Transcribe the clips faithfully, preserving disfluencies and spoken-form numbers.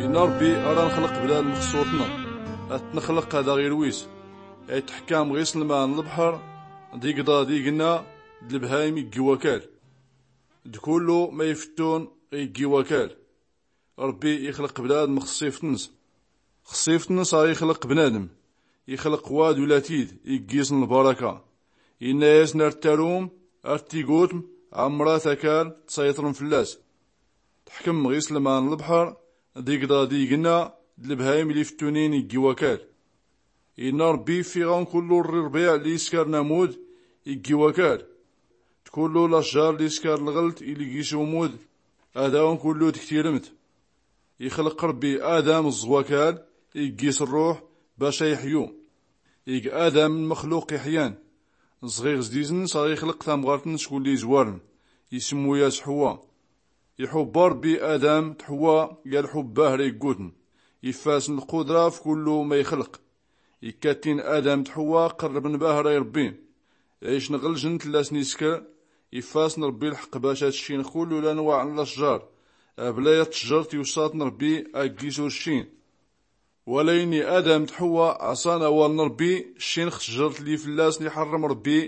Inna rbbi ara nxlq bnadm xsur-tn, a-t-nxlq ad-aɣ-irwis. Ayt-ḥkam ɣ-islman n-lbḥr, d-igḍa d-ignna, d-lbhayim iggi wakal, d-kullu ma ifttun iggi wakal. Rbbi ixlq bnadm xṣṣift-ns. Xṣṣift-ns aɣ-ixlq bnadm, ixlq wad ula-t-id iggis n-lbaraka. Inna-yasn ar-tarum, ar-tigutm, ɛmrat akal tṣayṭrm fllas. Tḥkm ɣ-islman n-lbḥr, d-igḍa d-ignna, d-lbhayim lli ftunin iggi wakal. Inna rbbi, ffiɣ-awn kullu rrbiɛ lli iskarn amud iggi wakal, d-kullu lacjar lli iskar lɣlt illi gis umud, ad-awn kullu d-ktirmt. Ixlq rbbi adam ẓẓ wakal, iggis rruḥ, bac a-ixyu. Ig adam n-mxluq iḥyan. Ẓɣiɣ zdizn s-aɣ-ixlq tamɣart-ns kulli izwarn, ismmu-yas ḥwa. Iḥubba rbbi adam d-ḥwa, yal-ḥubba hra iggutn. Iffasn lqudra f-kullu ma ixlq. Ikkattin adam d-ḥwa qrrbn bahra i-rbbi. Ɛicn ɣ-ljnt llasn iskr. Iffasn rbbi lḥq bac a-tccin kullu lanwaɛn lacjar, abla ya-tcjrt iwṣatn rbbi aggis ur-ccin. Wala inni adam d-ḥwa ɛṣan awal n-rbbi, ccin x-tcjrt lli fllasn iḥrrm rbbi.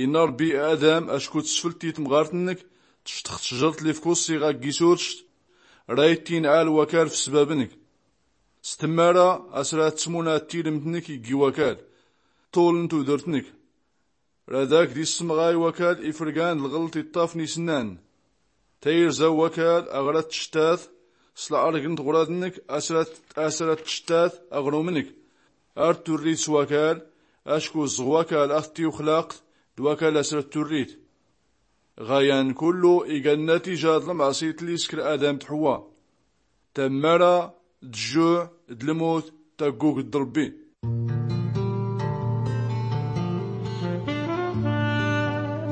Inna rbbi i adam, acku tsflt i-tmɣart-nnk, tcṭx tcjrt lli f-kuṣṣiɣ aggis ur-cct, ra-ittin ɛal wakal f-sbab-nnk. S-tmmara, asra tsmun a-tilmt-nnk iggi wakal, ṭul n-tudrt-nnk. Ra dak d-issmɣay wakal ifrgan d-lɣlt iṭṭafn isnnan. Tayirza n-wakal aɣ-ra-tcttat, s-lɛrg n-tɣrad-nnk asra-tcttat aɣrum-nnk. Ar-turrit s-wakal, acku ẓẓ wakal a-t-tiwxlaqt, d-wakal asra-turrit. Ɣayan kullu iga nnatija d-lmɛṣit lli iskr adam d-ḥwa. Tammara, d-jjuɛ, d-lmut, taggug d-rbbi.